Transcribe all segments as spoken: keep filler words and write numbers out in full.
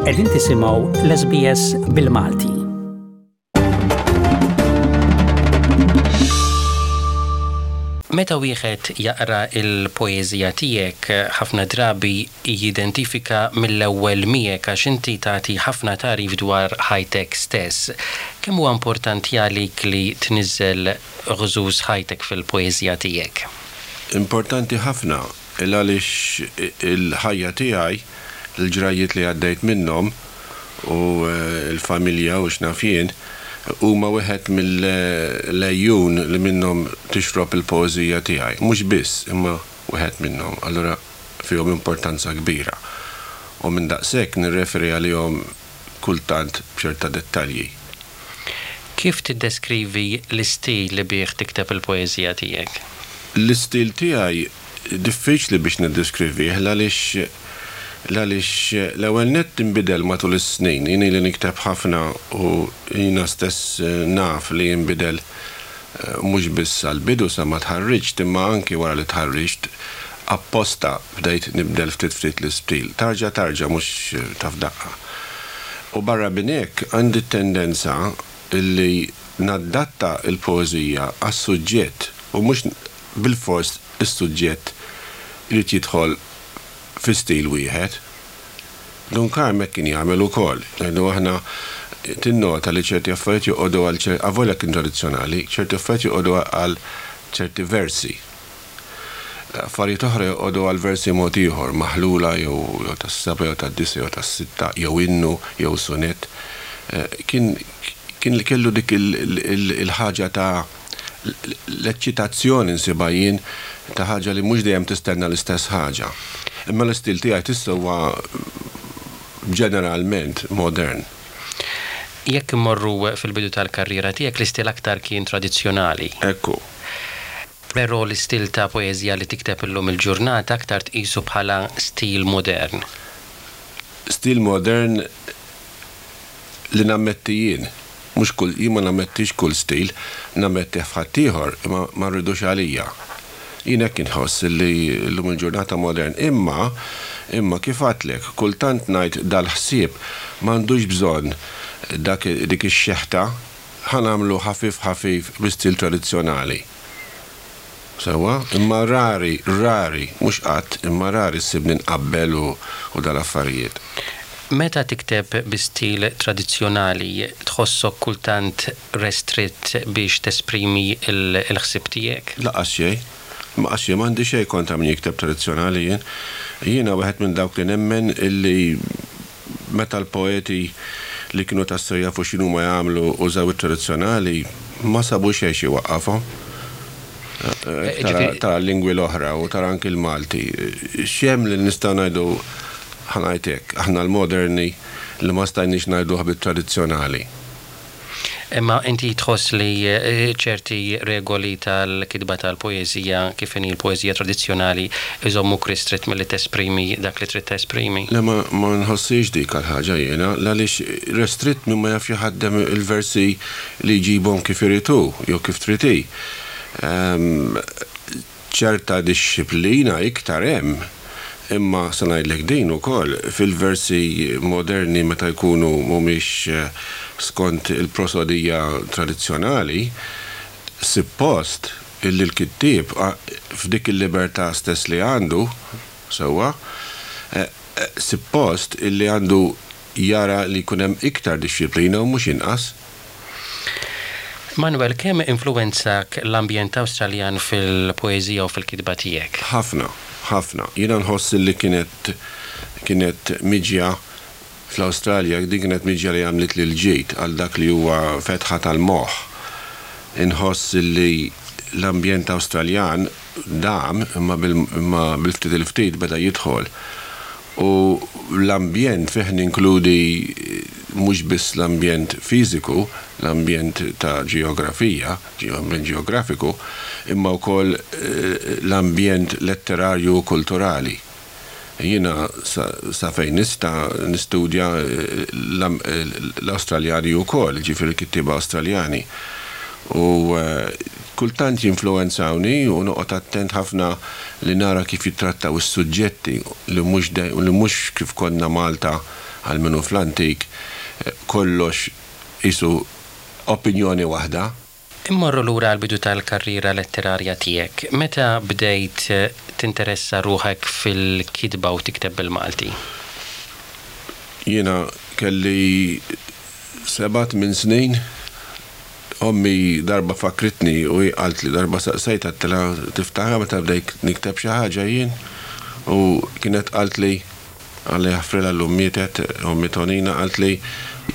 Qegħdin tisimgħu l-S B S bil-Malti. Meta wieħed jaqra il-poeżija tiegħek, ħafna drabi jidentifika mill-ewwel miegħek għax inti tagħti ħafna tagħrif dwar ħajtek stess. Kemm huwa importanti għalik li tniżżel għeżież ħajtek fil-poeżija tiegħek? Importanti ħafna, il għaliex il-ħajja tiegħi, il-ġrajiet li għaddejt minnhom u eh, l-familja u x'naf jien, huma wieħed mill-għejun li minnhom tixrob il-poeżija tiegħi. Mhux biss, imma wieħed minnhom. Allura fihom importanza kbira. U minn daqshekk nirreferi għalihom kultant b'ċerta dettalji. Kif tiddeskrivi l-istil li bih tikteb il-poeżija tiegħek? L-istil tiegħi diffiċli biex niddeskrivih, għaliex għaliex l-ewwel nett inbidel matul is-snin. Jien li nikteb ħafna u jiena stess eh, naf li jinbidel, eh, mhux biss għal-bidu sa ma tħarriġt, imma anki wara li tħarriġt apposta bdejt nibdel ftit ftit l-istil. Tarġa tarġa, mhux eh, ta' f'daqqa. U barra minn hekk għandi tendenza illi naddatta il-poeżija għas-suġġett u mhux bil-fors is-suġġett irid jidħol fi stil wieħed. Dun Karm kien jagħmel ukoll. Ngħidu aħna, tinnota li ċerti affarijiet joqogħdu għal ċerti, avolja kien tradizzjonali, ċerti affarijiet joqogħdu għal ċerti versi. Affarijiet oħra joqogħdu għal versi mod ieħor, maħlula jew jew tas-seba' jew tad-disa' jew tas-sitta, jew innu jew sonett. Eh, kien kien li kellu dik il-ħaġa ta' l-eċċitazzjoni, nsibha jien, ta' ħaġa li mhux dejjem tistenna l-istess ħaġa. Imma l-istil tiegħi tista' huwa ġeneralment modern. Jekk immorru fil-bidu tal-karriera tiegħek, l-istil aktar kien tradizzjonali. Ekku. Però l-istil ta' poeżija li tikteb illum il-ġurnata aktar tqisu bħala stil modern. Stil modern li nammetti jien. Mhux kull, jien ma nammettix kull stil, nammetti f'ħaddieħor, imma ma rridux għalija. Jien hekk inħoss li llum il-ġurnata modern, imma imma kif għedtlek, kultant ngħid dal-ħsieb m'għandux bżonn dak dik ix-xeħta, ħa nagħmlu ħafif ħafif bi stil tradizzjonali. Sewa, imma rari, rari, mhux qatt, imma rari ssibni nqabbel u, u dal-affarijiet. Meta tikteb bi stil tradizzjonali, tħossok kultant restritt biex tesprimi il-ħsieb tiegħek? Lanqas xejn. Lanqas xejn, m'għandi xejn kontra min jikteb tradizzjonali jien. Jiena wieħed minn dawk li nemmen illi meta l-poeti li kienu tassew jafu x'inhu ma jagħmlu użaw it-tradizzjonali, ma sabu xejn xi waqqafhom. Tara tara l-lingwi l-oħra u tara anki l-Malti. X'hemm li nistgħu ngħidu, ħa ngħidlek, aħna l-moderni, li ma stajniex ngħiduh bit-tradizzjonali? Imma inti tħoss li eh, ċerti regoli tal-kitba tal-poeżija, kif inhi l-poeżija tradizzjonali, iżommuk ristrett milli tesprimi dak li trid tesprimi? Le, ma, ma nħossix dik għal-ħaġa jiena, għaliex restritt min ma jafx jaħdem il-versi li jġibhom kif iridu, jew kif trid hi. Ehm, ċerta disċiplina iktar hemm, imma se ngħidlek din ukoll, fil-versi moderni, meta jkunu mhumiex eh, skont il-prosodija tradizzjonali, suppost illi l-kittieb f'dik il-libertà stess li għandu, sewwa, eh, eh, suppost illi għandu jara li jkun hemm iktar disċiplina u mhux inqas. Manuel, kemm influwenzak l-ambjent Awstraljan fil-poeżija u fil-kitba tiegħek? Ħafna, ħafna. Jiena nħoss li kienet kienet miġja fl-Awstralja, din kienet miġja li għamlet li l-ġejt għal dak li huwa fetħa tal-moħħ. Inħoss li l-ambjent Awstraljan dam, imma bil-ftit il-ftit beda jidħol. U l-ambjent fih ninkludi mhux biss l-ambjent fiżiku, l-ambjent ta' ġeografija, ambjent ġeografiku, imma wkoll eh, l-ambjent letterarju u kulturali. Jiena sa, sa fejn nista' nistudja eh, l-Awstraljani wkoll, ġifieri kittieba Awstraljani. U eh, kultant jinfluwenzawni u noqgħod attent ħafna li nara kif jittrattaw is-suġġetti li mhux li mhux kif konna Malta. għal minnu fl-antik, kollox isu opinjoni waħda. Immorru lura għall-bidu tal-karriera letterarja tiegħek. Meta bdejt tinteressa ruħek fil-kitba u tikteb bil-Malti? Jiena kelli seba' tmien snin. Ommi darba fakritni u hi qaltli, darba saqsejtha, għedtilha, "Tiftakar meta bdejt nikteb xi ħaġa jien?" U kienet qaltli, Alla jaħfrilha, llum mietet, ommi Tonina, qaltli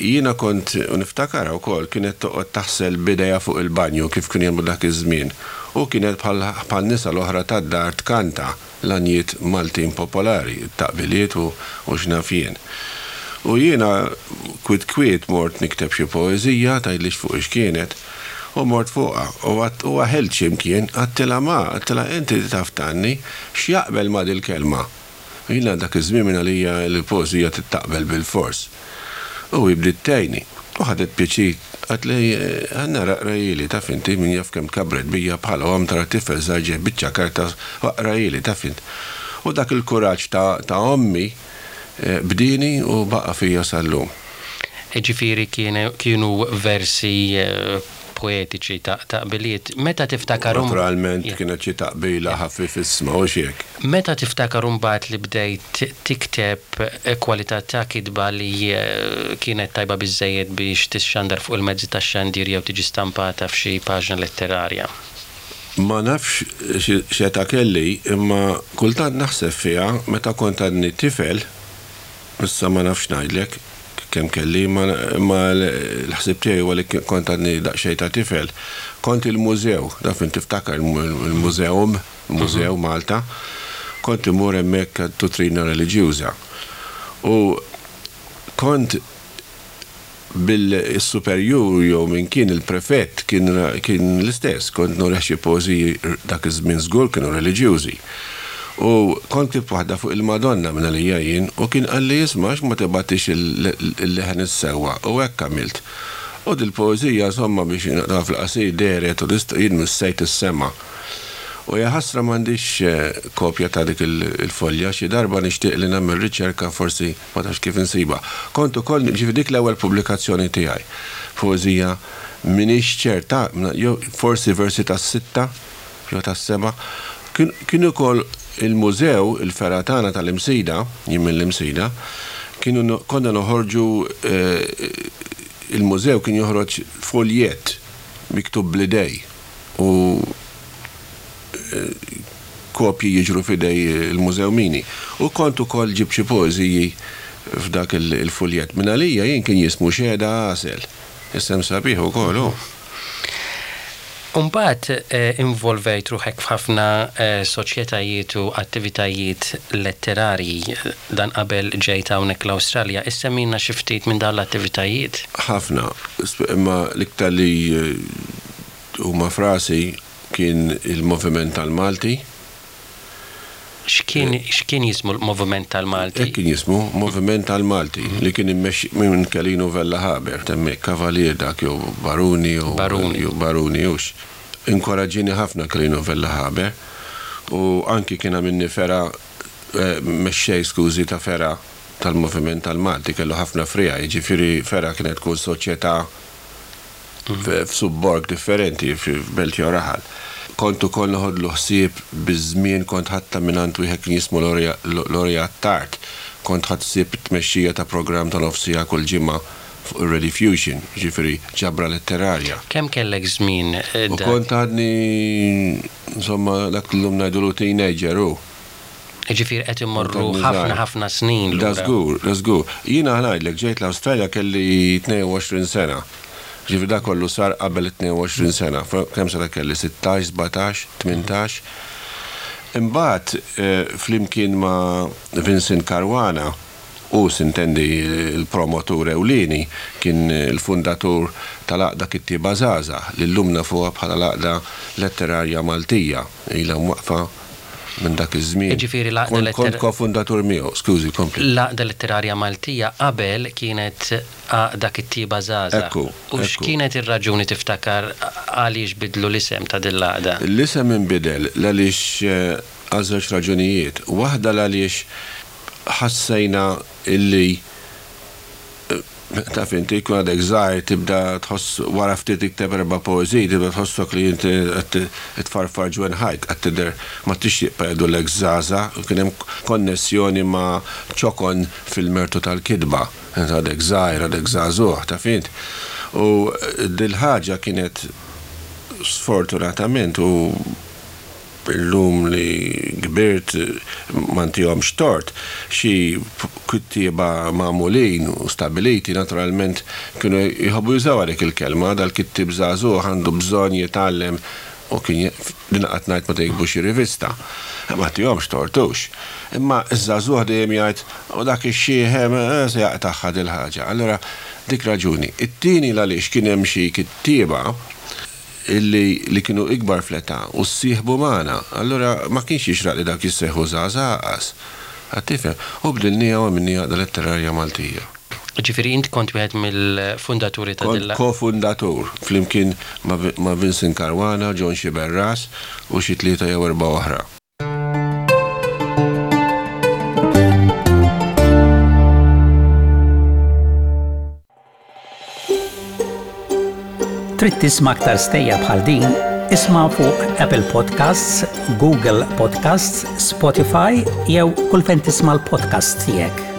jiena kont u niftakarha wkoll kienet toqgħod taħsel b'idejha fuq il-banju kif kienu jagħmlu dak iż-żmien u kienet bħal bħal nisa l-oħra tad-dar tkanta l-għanjiet Maltin popolari, it-taqbiliet u u x'naf jien. U jiena kwiet kwiet mort nikteb xi poeżija, tgħidlix fuq ix kienet, u mort fuqha u għadt u waħilt xi mkien, għedtilha, "Ma," għedtilha, "inti taf tgħanni, x'jaqbel ma' dil-kelma?" Jiena dak iż-żmien minn għalija l-poeżija trid bilfors. U hi bdiet tgħinni. U ħadet pjaċir, qaltli, "Ħa nara, aqrahieli." Taf inti, min jaf kemm kabret bija bħala omm tara tifel żgħir ġej biċċa karta u "Aqrahieli," taf int. U dak il-kuraġġ ta', ta ommi eh, bdieni u baqa' fija sal-lum. Ġifieri kienu versi eh, poetiċi ta' taqbiliet. Meta tiftakar Naturalment kienet xi taqbila ħafifissma u hekk. Meta tiftakar mbagħad li bdejt tikteb kwalità ta' kitba li eh, kienet tajba biżejjed biex tixxandar fuq il-mezzi tax-xandir jew tiġi stampata f'xi paġna letterarja? Ma nafx x'età kelli, imma kultant naħseb fiha meta kont għadni tifel, issa ma nafx ngħidlek kemm kelli, ma l-ħsib tiegħi huwa li kont għadni daqsxejn ta' tifel. Kont il-mużew, taf int tiftakar il-mużeum, Mużew mhm. Malta, kont imur hemmhekk duttrina reliġjuża. U kont bil-superjur jew min kien il-prefett kien, kien l-istess, kont nurih xi poeżiji, dak iż-żmien żgur kienu reliġjużi. U kont ktibt waħda fuq il-Madonna minn għalija jien u kien qalli, "Isma', ma tibgħatix il-Leħen is-Sewwa?" U hekk għamilt. U dil-poeżija, insomma, biex naqra fil-qasir, dehret u jien missejt is-sema. U jaħasra m'għandix eh, kopja ta' dik il-folja, xi darba nixtieq li nagħmel riċerka, forsi ma tafx kif insiba. Kont ukoll, ġifieri dik l-ewwel pubblikazzjoni tiegħi. Poeżija, m'iniex ċerta, jew forsi versi ta' sitta jew ta' seba'. Kien ukoll il-mużew, il-fergħa tagħna tal-Imsida, jien mill-Imsida, kienu konna noħorġu, eh, il-mużew kien joħroġ foljet miktub bl-idejn u eh, kopji jiġru f'idejn il-mużewmini. U kont ukoll ġibt xi poeżiji f'dak il-fuljet. Minn għalija jien kien jismu Xehda Għasel. Isem sabiħ ukoll, oh. Umbagħad eh, involvejt ruħek f'ħafna eh, soċjetajiet u attivitajiet letterarji dan qabel ġejt hawnhekk l-Awstralja. Issemmina xi ftit minn dawn l-attivitajiet. Ħafna, imma l-iktar li eh, huma f'rasi kien il-Moviment tal-Malti. X'kien x'kien jismu l-Moviment tal-Malti? Hekk kien jismu, Moviment tal-Malti, li kien immexxi minn Kelinu Vella Haber, temmek Kavalier dak jew Baruni jew Baruni. Jew Baruni hux. Inkoraġġini ħafna Kelinu Vella Haber u anki kien għamilni fergħa, eh, mexxej, skużi, ta' fergħa tal-Moviment tal-Malti, kellu ħafna friegħi, jiġifieri fergħa kienet tkun soċjetà f'subborg differenti, f'belt jew raħal. Kont ukoll noħodlu ħsieb biż-żmien, kont ħadtha mingħand wieħed kien jismu Lori Attard. Kont ħadt ħsieb it-tmexxija ta' programm ta' nofs siegħa kull ġimgħa fuq ir-Rediffusion, ġifieri ġabra letterarja. Kemm kellek żmien? Eh, u kont għadni, insomma, dak l-lum ngħidulu teenager u. Ġifieri qed immorru ħafna ħafna snin. Da żgur, da żgur. Jiena ngħidlek, ġejt l-Awstralja kelli tnejn u għoxrin sena. Ġifieri da kollu sar qabel tnejn u għoxrin sena. Kemm sena kelli? Sittax, sbatax, tmintax. Imbagħad eh, flimkien ma' Vincent Caruana, u sintendi il-promotur ewlieni, kien il-fundatur tal-Għaqda Kittieba Żgħażagħ, li llum nafuha bħala l-Għaqda Letterarja Maltija, ilha mwaqfa minn dak iż-żmien. Ġifieri l-Għaqda Kont kofundatur miegħu, skużi, kompli. L-Għaqda Letterarja Maltija qabel kienet Għaqda Kittieba Żgħażagħ. Ekku. U x'kienet ir-raġuni, tiftakar, għaliex bidlu l-isem ta' din l-għaqda? L-isem inbidel għaliex eh, għal żewġ raġunijiet. Waħda għaliex ħassejna illi Taf inti jkun għadek żgħir, tibda tħoss wara ftit tikteb erba' poeżiji, tibda tħossok li inti qed tfarfar ġwenħajk, qed tidher ma tixtieq jgħidulek żgħażagħ, kien hemm konnessjoni ma' ċokon fil-mertu tal-kitba. Int għadek żgħir, għadek żagħżugħ, taf int. U dil-ħaġa kienet sfortunatament, u illum li kbirt ma ntihomx tort, xi kittieba magħmulin u stabiliti naturalment kienu jħobbu jużaw dik il-kelma, dal-kittieb żagħżugħ għandu bżonn jitgħallem, u kien din qatt ngħid meta jiktbu xi rivista. Ma ntihomx tort hux. Imma iż-żagħżugħ dejjem jgħid u dak ix-xiħ se jaqtagħha dil-ħaġa. Allura dik raġuni. It-tieni għaliex kien hemm xi kittieba illi li kienu ikbar fl-età u ssieħbu magħna. Allura ma kienx jixraq li dak jissejħu żgħażagħ. Qed tifhem? U bdilnieha u għamilnieha Għaqda Letterarja Maltija. Ġifieri int kont wieħed mill-fundaturi ta' Kont dilla. Kofundatur flimkien ma' ma' Vincent Caruana, John Sciberras u xi tlieta jew erba' oħra. Trid tisma' aktar stejjer bħal din? Isma' fuq Apple Podcasts, Google Podcasts, Spotify jew kull fejn tisma' l-podcast tiegħek.